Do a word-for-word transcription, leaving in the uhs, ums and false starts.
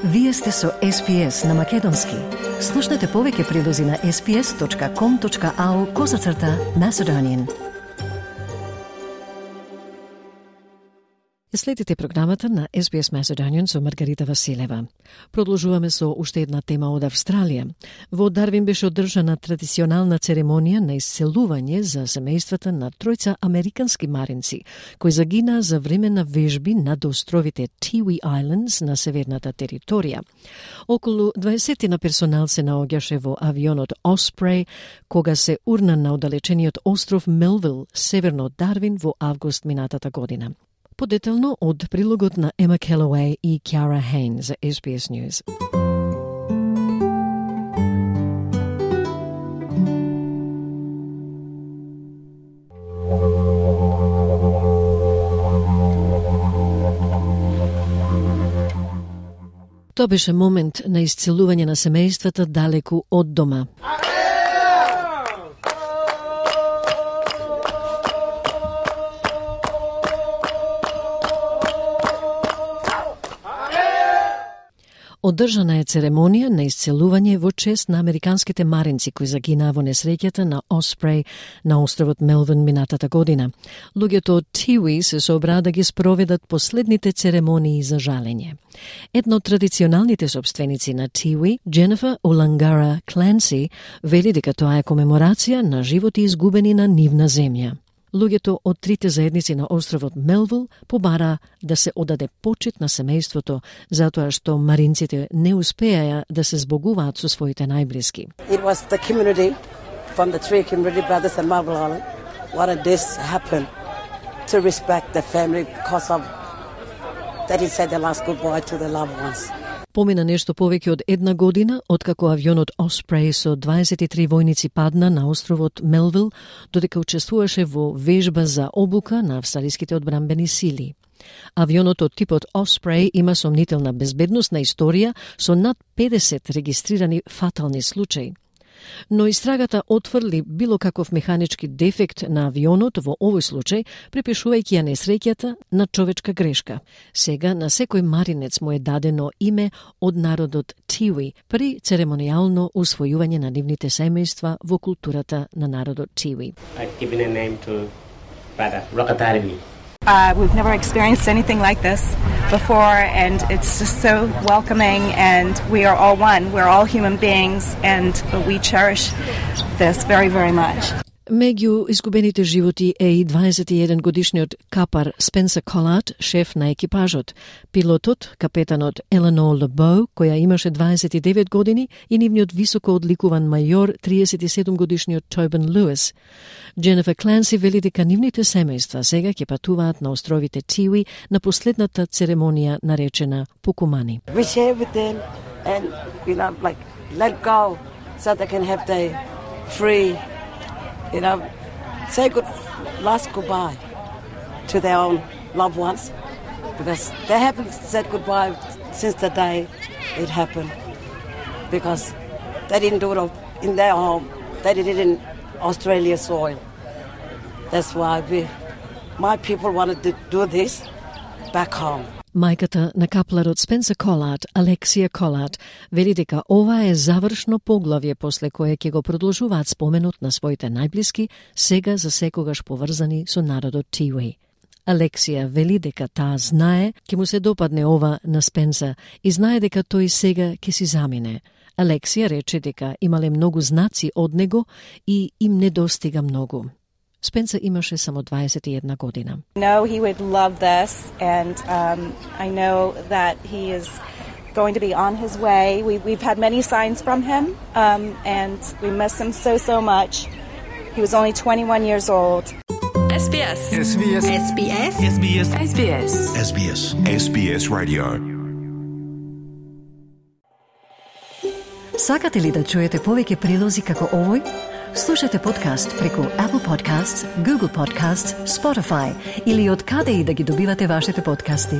Вие сте со Ес Би Ес на Македонски. Слушнете повеќе прилози на ес би ес точка ком точка ау козацрта Macedonian. Следите програмата на Ес Би Ес Macedonian со Маргарита Василева. Продолжуваме со уште една тема од Австралија. Во Дарвин беше одржана традиционална церемонија на исцелување за семејствата на тројца американски маринци, кои загинаа за време на вежби над островите Tiwi Islands на северната територија. Околу дваесет на персонал се наоѓаше во авионот Osprey, кога се урна на оддалечениот остров Мелвил, северно од Дарвин, во август минатата година. Подетелно од прилогот на Ема Келауей и Кјара Хейн за Ес Би Ес News. Тоа беше момент на исцелување на семејствата далеку од дома. Одржана е церемонија на исцелување во чест на американските маринци кои загинаа во несреќата на Osprey на островот Мелвин минатата година. Луѓето од Tiwi се собраа да ги спроведат последните церемонии за жалење. Една од традиционалните собственици на Tiwi, Дженефер Олангара Кленси, вели дека тоа е комеморација на животи изгубени на нивна земја. Луѓето од трите заедници на островот Мелвил побараа да се одаде почит на семејството затоа што маринците не успеаја да се збогуваат со своите најблиски. It was the community from the three community brothers in Marble Island wanted this happen to respect the family because of that he said the last goodbye to the loved ones. Помина нешто повеќе од една година откако авионот Osprey со дваесет и три војници падна на островот Мелвил, додека учествуваше во вежба за обука на австралиските одбранбени сили. Авионот од типот Osprey има сомнителна безбедносна историја со над педесет регистрирани фатални случаи. Но истрагата отфрли било каков механички дефект на авионот во овој случај, припишувајќи ја несреќата на човечка грешка. Сега на секој маринец му е дадено име од народот Tiwi при церемонијално усвојување на нивните семејства во културата на народот Tiwi. I've given a name to brother Rakatarbi. Uh, we've never experienced anything like this before, and it's just so welcoming, and we are all one. We're all human beings, and we cherish this very, very much. Меѓу изгубените животи е и дваесет и еден годишниот капар Спенсер Колат, шеф на екипажот, пилотот, капетанот Еленор Лебоу, која имаше дваесет и девет години, и нивниот високо одликуван мајор, триесет и седум годишниот Тобин Луис. Дженефер Кленси вели дека нивните семејства сега ќе патуваат на островите Tiwi на последната церемонија наречена Пукумани. We share with them and you know like let go so they can have their free you know say good last goodbye to their own loved ones because they haven't said goodbye since the day it happened because they didn't do it in their home, they did it in Australia soil. That's why we, my people wanted to do this back home. Мајката на капларот Спенсер Колат, Алексија Колат, вели дека ова е завршно поглавје после кое ќе го продолжуваат споменот на своите најблиски, сега за секогаш поврзани со народот Tiwi. Алексија вели дека таа знае ќе му се допадне ова на Спенсер и знае дека тој сега ќе си замине. Алексија рече дека имале многу знаци од него и им недостига многу. Спенсер имаше само дваесет и една година. I know he would love this, and um, I know that he is going to be on his way. We, we've had many signs from him, um, and we miss him so, so much. He was only twenty-one years old. Ес Би Ес. Ес Би Ес. Ес Би Ес. Ес Би Ес. Ес Би Ес. Ес Би Ес. Ес Би Ес Radio. Сакате ли да чуете повеќе прилози како овој? Слушате подкаст преку Apple Podcasts, Google Podcasts, Spotify или од каде и да ги добивате вашите подкасти.